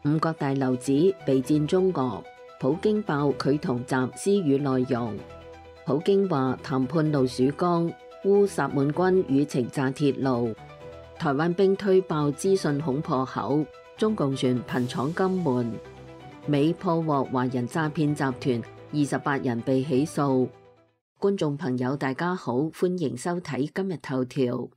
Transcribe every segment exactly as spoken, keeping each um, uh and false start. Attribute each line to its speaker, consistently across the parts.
Speaker 1: 五角大樓指備戰中俄，普京爆佢同習私語內容。普京話談判路曙光，烏薩滿軍輿情炸鐵路。台灣兵推爆資訊恐破口，中共船頻闖金門。美破獲華人詐騙集團，二十八人被起訴。觀眾朋友大家好，歡迎收睇今日頭條。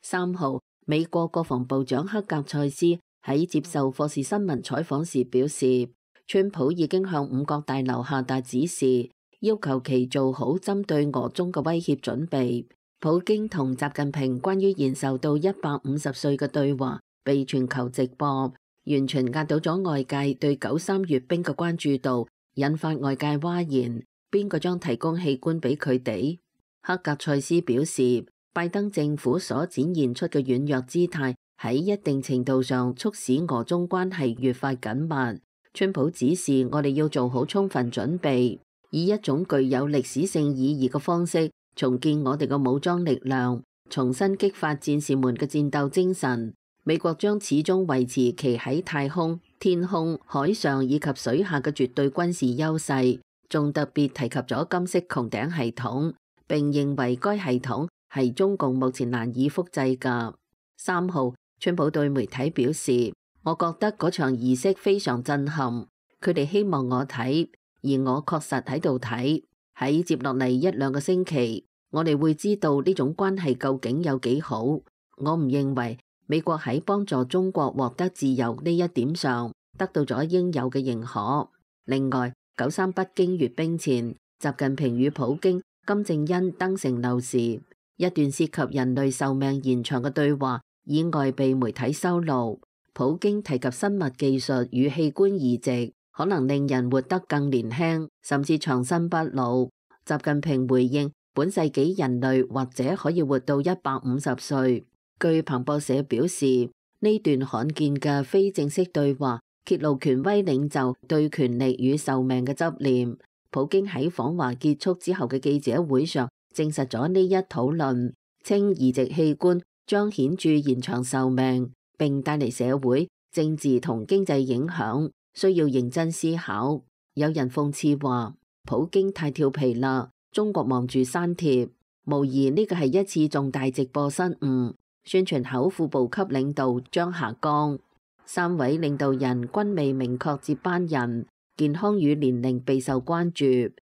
Speaker 1: 三號，美國國防部長克格塞斯喺接受霍士新聞採訪時表示，川普已經向五角大樓下達指示，要求其做好針對俄中嘅威脅準備。普京同習近平關於延壽到一百五十歲嘅對話被全球直播，完全壓倒咗外界對九三閱兵嘅關注度，引發外界譁然。邊個將提供器官俾佢哋？克格塞斯表示，拜登政府所展現出嘅軟弱姿態，喺一定程度上促使俄中關係越發緊密。川普指示我哋要做好充分準備，以一種具有歷史性意義嘅方式重建我哋嘅武裝力量，重新激發戰士們嘅戰鬥精神。美國將始終維持其喺太空、天空、海上以及水下嘅絕對軍事優勢，仲特別提及咗金色穹頂系統，並認為該系統係中共目前難以複製㗎。三號，川普對媒體表示，我覺得嗰場儀式非常震撼，佢哋希望我睇，而我確實喺度睇。喺接落嚟一兩個星期，我哋會知道呢種關係究竟有幾好。我唔認為美國喺幫助中國獲得自由呢一點上得到咗應有嘅認可。另外，九三北京閱兵前，習近平與普京、金正恩登城樓時，一段涉及人類壽命延長嘅對話意外被媒體收錄。普京提及生物技術與器官移植可能令人活得更年輕，甚至長生不老。習近平回應，本世紀人類或者可以活到一百五十歲。據彭博社表示，呢段罕見嘅非正式對話揭露權威領袖對權力與壽命嘅執念。普京喺訪華結束之後嘅記者會上證實咗呢一討論，稱移植器官將顯著延長壽命，並帶嚟社會、政治同經濟影響，需要認真思考。有人諷刺話，普京太調皮啦，中國忙住刪帖，無疑呢個係一次重大直播失誤。宣傳口副部級領導將下崗，三位領導人均未明確接班人，健康與年齡備受關注。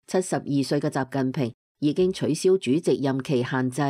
Speaker 1: 七十二歲嘅習近平已經取消主席任期限制，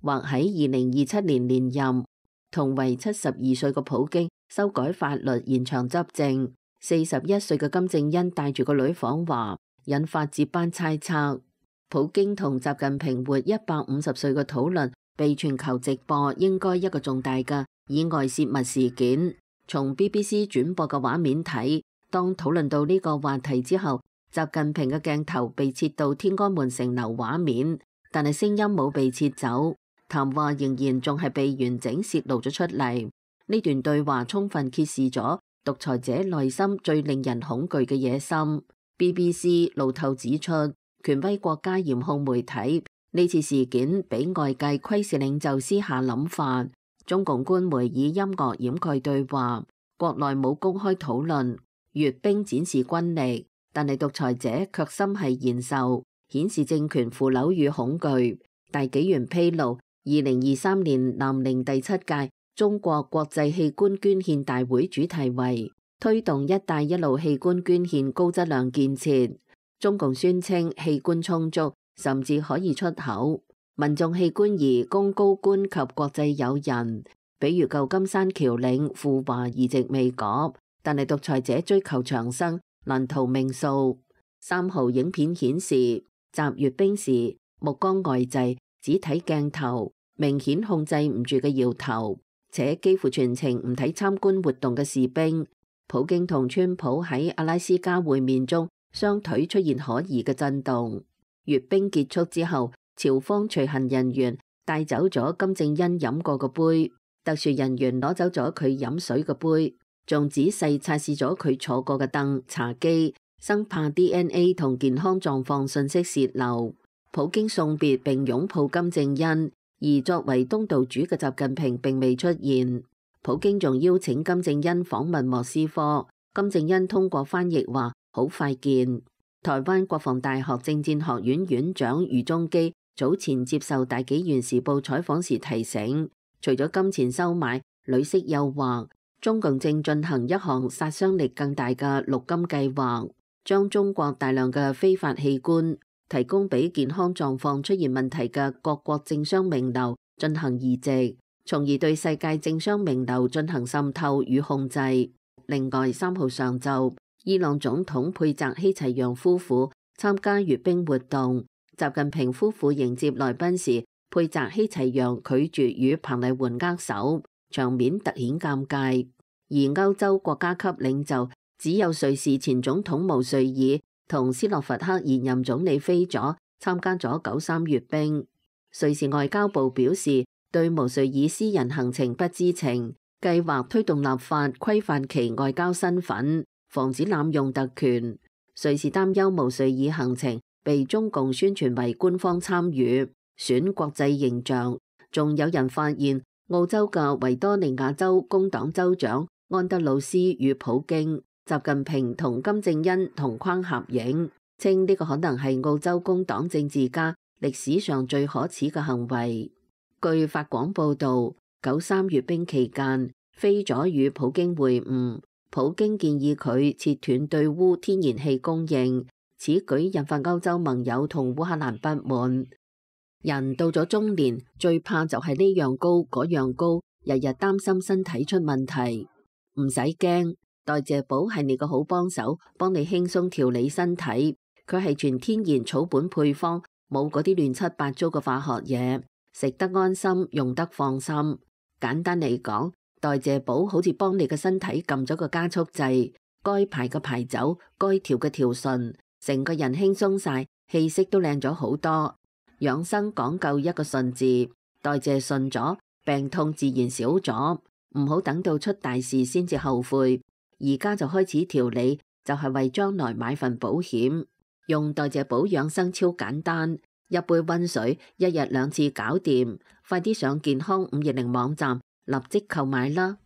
Speaker 1: 或喺二零二七年連任。同為七十二歲嘅普京修改法律延長執政。四十一歲嘅金正恩帶住個女訪華，引發接班猜測。普京同習近平活一百五十歲嘅討論被全球直播，應該一個重大嘅意外洩密事件。從 B B C 轉播嘅畫面睇，當討論到呢個話題之後，習近平嘅鏡頭被切到天安門城樓畫面，但係聲音冇被切走，談話仍然仲係被完整洩露咗出嚟。呢段對話充分揭示咗獨裁者內心最令人恐懼嘅野心。B B C 路透指出，權威國家嚴控媒體，呢次事件俾外界窺視領袖私下諗法。中共官媒以音樂掩蓋對話，國內冇公開討論。閱兵展示軍力，但係獨裁者卻心繫延壽，顯示政權腐朽與恐懼。大紀元披露，二零二三年南寧第七屆中國國際器官捐獻大會主題為推動一帶一路器官捐獻高質量建設。中共宣稱器官充足，甚至可以出口。民眾器官儀供高官及國際友人，比如舊金山僑領赴華移植未果，但係獨裁者追求長生，難逃命數。三號影片顯示，習閱兵時目光呆滯，只睇鏡頭，明顯控制唔住嘅搖頭，且幾乎全程唔睇參觀活動嘅士兵。普京同川普喺阿拉斯加會面中，雙腿出現可疑嘅震動。閱兵結束之後，朝方隨行人員帶走咗金正恩飲過嘅杯，特殊人員攞走咗佢飲水嘅杯，仲仔細測試咗佢坐過嘅凳、茶几，生怕 D N A 同健康狀況信息洩漏。普京送別並擁抱金正恩，而作為東道主嘅習近平並未出現。普京仲邀請金正恩訪問莫斯科，金正恩通過翻譯話好快見。台灣國防大學政戰學院院長余宗基早前接受大紀元時報採訪時提醒，除咗金錢收買、女色誘惑，中共正進行一項殺傷力更大嘅綠金計劃，將中國大量嘅非法器官提供俾健康狀況出現問題嘅各國政商名流進行移植，從而對世界政商名流進行滲透與控制。另外，三號上晝，伊朗總統佩澤希齊揚夫婦參加閱兵活動，習近平夫婦迎接來賓時，佩澤希齊揚拒絕與彭麗媛握手，場面突顯尷尬。而歐洲國家級領袖只有瑞士前總統毛瑞爾同斯洛伐克現任總理菲佐參加咗九三閱兵。瑞士外交部表示對毛瑞爾私人行程不知情，計劃推動立法規範其外交身份，防止濫用特權。瑞士擔憂毛瑞爾行程被中共宣傳為官方參與，損國際形象。仲有人發現澳洲嘅維多利亞州工黨州長安德魯斯與普京、習近平同金正恩同框合影，稱呢個可能係澳洲工黨政治家歷史上最可恥嘅行為。據法廣報道，九三閱兵期間，菲佐與普京會晤，普京建議佢切斷對烏天然氣供應，此舉引發歐洲盟友同烏克蘭不滿。人到咗中年，最怕就係呢樣高嗰樣高，日日擔心身體出問題。唔使驚，代謝寶係你個好幫手，幫你輕鬆調理身體。佢係全天然草本配方，冇嗰啲亂七八糟嘅化學嘢，食得安心，用得放心。簡單嚟講，代謝寶好似幫你嘅身體撳咗個加速掣，該排嘅排走，該調嘅調順，成個人輕鬆晒，氣色都靚咗好多。養生講究一個順字，代謝順咗，病痛自然少咗。唔好等到出大事先至後悔，而家就開始調理，就係為將來買份保險。用代謝寶養生超簡單，一杯溫水，一日兩次搞掂。快啲上健康五二零網站立即購買啦！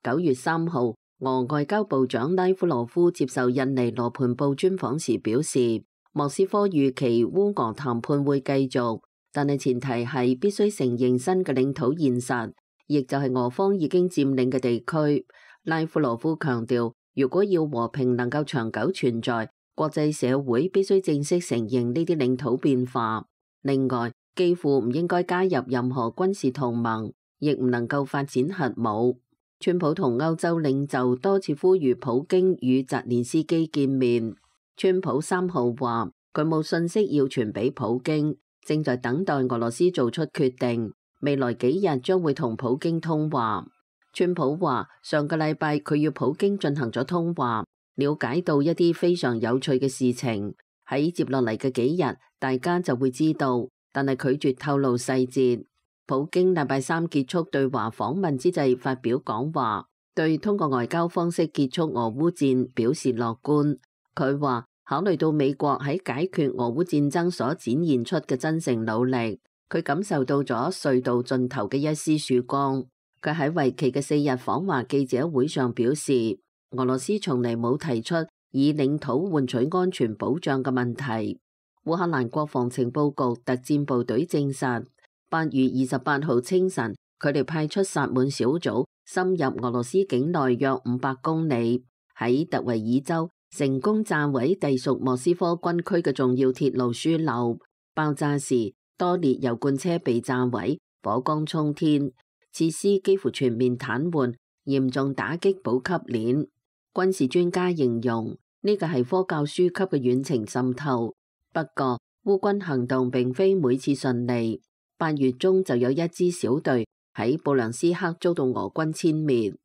Speaker 1: 九月三號，俄外交部長拉夫羅夫接受印尼羅盤報專訪時表示，莫斯科預期烏俄談判會繼續，但係前提係必須承認新嘅領土現實，亦就係俄方已經佔領嘅地區。拉夫羅夫強調，如果要和平能夠長久存在，國際社會必須正式承認呢啲領土變化。另外，幾乎唔應該加入任何軍事同盟，亦唔能夠發展核武。川普同歐洲領袖多次呼籲普京與澤連斯基見面。川普三號話佢冇信息要傳俾普京，正在等待俄羅斯做出決定，未來幾日將會同普京通話。川普話上個禮拜佢與普京進行咗通話，了解到一啲非常有趣嘅事情，喺接落嚟嘅幾日大家就會知道，但係拒絕透露細節。普京禮拜三結束對華訪問之際發表講話，對通過外交方式結束俄烏戰表示樂觀。佢話考慮到美國喺解決俄烏戰爭所展現出嘅真誠努力，佢感受到咗隧道盡頭嘅一絲曙光。佢喺為期嘅四日訪華記者會上表示，俄羅斯從嚟冇提出以領土換取安全保障嘅問題。烏克蘭國防情報局特戰部隊證實，八月二十八號清晨，佢哋派出薩滿小組深入俄羅斯境內約五百公里，喺特維爾州成功炸毀隸屬莫斯科軍區嘅重要鐵路樞紐。爆炸時，多列油罐車被炸毀，火光衝天，設施幾乎全面癱瘓，嚴重打擊補給鏈。軍事專家形容呢個係科教書級嘅遠程滲透。不過，烏軍行動並非每次順利。八月中就有一支小隊喺布良斯克遭到俄軍殲滅。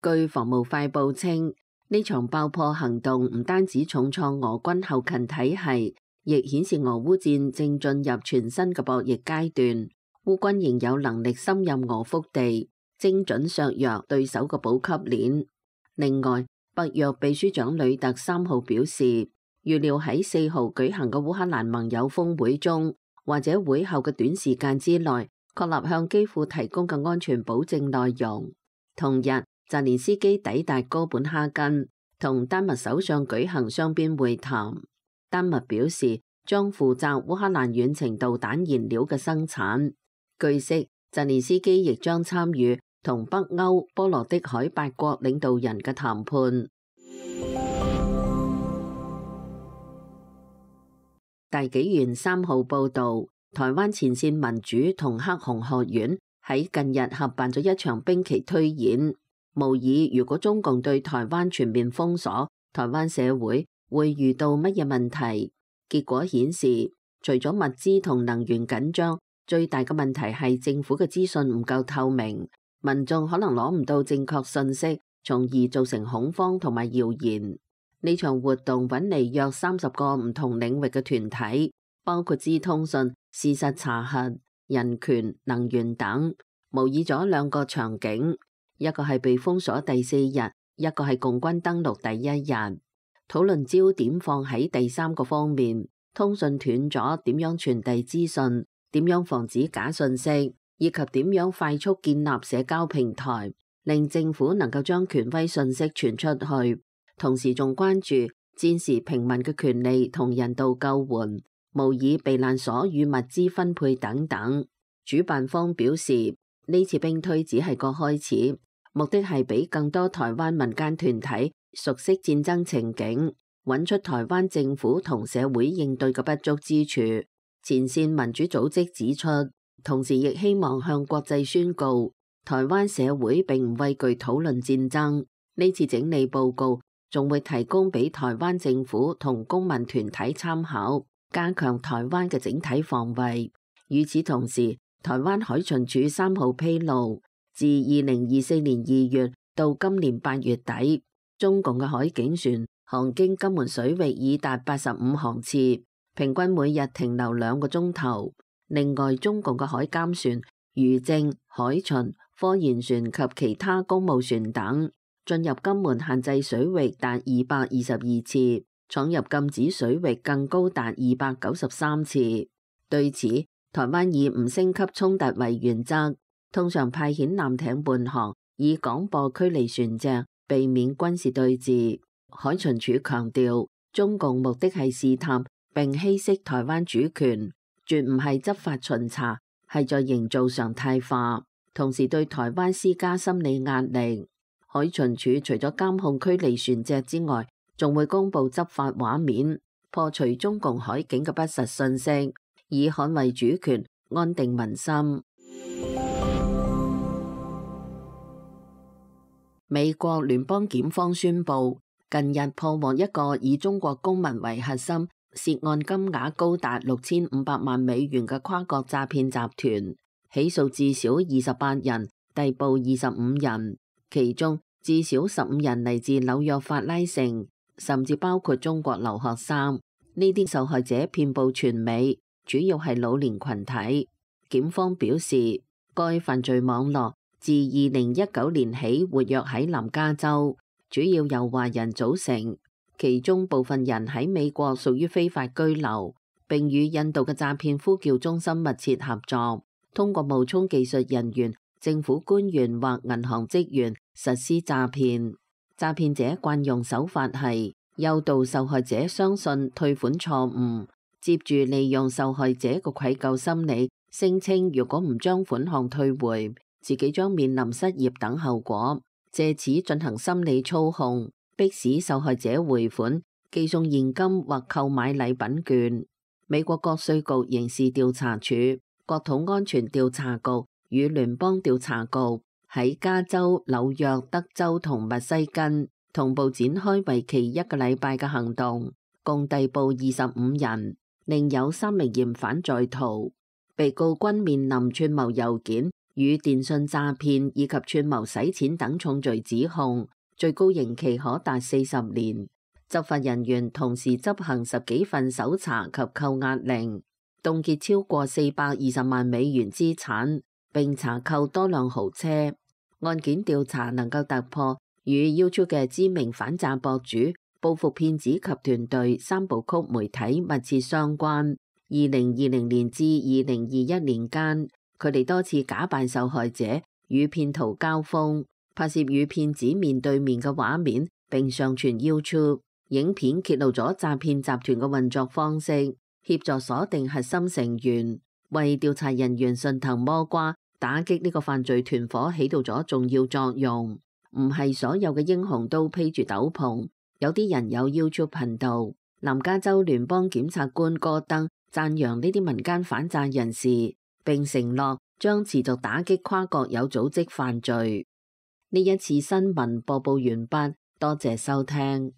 Speaker 1: 據防務快報稱，呢場爆破行動唔單止重創俄軍後勤體系，亦顯示俄烏戰正進入全新嘅博弈階段。烏軍仍有能力深入俄腹地，精準削弱對手嘅補給鏈。另外，北約秘書長呂特三號表示，預料喺四號舉行嘅烏克蘭盟友峰會中，或者會後嘅短時間之內，確立向基輔提供嘅安全保證內容。同日，澤連斯基抵達哥本哈根，同丹麥首相舉行雙邊會談。丹麥表示將負責烏克蘭遠程導彈燃料嘅生產。據悉，澤連斯基亦將參與同北歐波羅的海八國領導人嘅談判。大紀元三號報導，台灣前線民主同黑熊學院喺近日合辦咗一場兵棋推演，模擬如果中共對台灣全面封鎖，台灣社會會遇到乜嘢問題。結果顯示，除咗物資同能源緊張，最大嘅問題係政府嘅資訊唔夠透明，民眾可能攞唔到正確信息，從而造成恐慌同埋謠言。呢場活動揾嚟約三十個唔同領域嘅團體，包括資通訊、事實查核、人權、能源等，模擬咗兩個場景，一個係被封鎖第四日，一個係共軍登陸第一日。討論焦點放喺第三個方面，通訊斷咗點樣傳遞資訊，點樣防止假信息，以及點樣快速建立社交平台，令政府能夠將權威信息傳出去。同時仲關注戰時平民嘅權利同人道救援，模擬避難所與物資分配等等。主辦方表示，呢次兵推只係個開始，目的係俾更多台灣民間團體熟悉戰爭情景，揾出台灣政府同社會應對嘅不足之處。前線民主組織指出，同時亦希望向國際宣告，台灣社會並唔畏懼討論戰爭。呢次整理報告仲會提供俾台灣政府同公民團體參考，加強台灣嘅整體防衛。與此同時，台灣海巡署三號披露，自二零二四年二月到今年八月底，中共嘅海警船航經金門水域已達八十五航次，平均每日停留兩個鐘頭。另外，中共嘅海監船、漁政、海巡、科研船及其他公務船等進入金門限制水域達二百二十二次，闖入禁止水域更高達二百九十三次。對此，台灣以唔升級衝突為原則，通常派遣艦艇伴航，以廣播驅離船隻，避免軍事對峙。海巡署強調，中共目的係試探並稀釋台灣主權，絕唔係執法巡查，係在營造常態化，同時對台灣施加心理壓力。海巡署除咗監控驅離船隻之外，仲會公布執法畫面，破除中共海警嘅不實信息，以捍衛主權、安定民心。美國聯邦檢方宣布，近日破獲一個以中國公民為核心、涉案金額高達六千五百萬美元嘅跨國詐騙集團，起訴至少二十八人，逮捕二十五人。其中至少十五人嚟自紐約法拉盛，甚至包括中國留學生。呢啲受害者遍佈全美，主要係老年群體。檢方表示，該犯罪網絡自二零一九年起活躍喺南加州，主要由華人組成，其中部分人喺美國屬於非法居留，並與印度嘅詐騙呼叫中心密切合作，通過冒充技術人員、政府官員或銀行職員實施詐騙。詐騙者慣用手法係誘導受害者相信退款錯誤，接住利用受害者嘅愧疚心理，聲稱如果唔將款項退回，自己將面臨失業等後果，借此進行心理操控，迫使受害者回款、寄送現金或購買禮品券。美國國稅局刑事調查處、國土安全調查局與聯邦調查局喺加州、紐約、德州同密西根同步展開為期一個禮拜嘅行動，共逮捕二十五人，另有三名嫌犯在逃。被告均面臨串謀郵件與電信詐騙以及串謀洗錢等重罪指控，最高刑期可達四十年。執法人員同時執行十幾份搜查及扣押令，凍結超過四百二十萬美元資產，並查扣多輛豪車。案件調查能夠突破與 YouTube 嘅知名反詐博主報復騙子及團隊三部曲媒體密切相關。二零二零年至二零二一年間，佢哋多次假扮受害者與騙徒交鋒，拍攝與騙子面對面嘅畫面並上傳 YouTube。影片揭露咗詐騙集團嘅運作方式，協助鎖定核心成員，為調查人員順藤摸瓜，打擊呢個犯罪團伙起到咗重要作用。唔係所有嘅英雄都披住斗篷，有啲人有 YouTube 頻道。南加州聯邦檢察官戈登讚揚呢啲民間反詐人士，並承諾將持續打擊跨國有組織犯罪。呢一次新聞播報完畢，多謝收聽。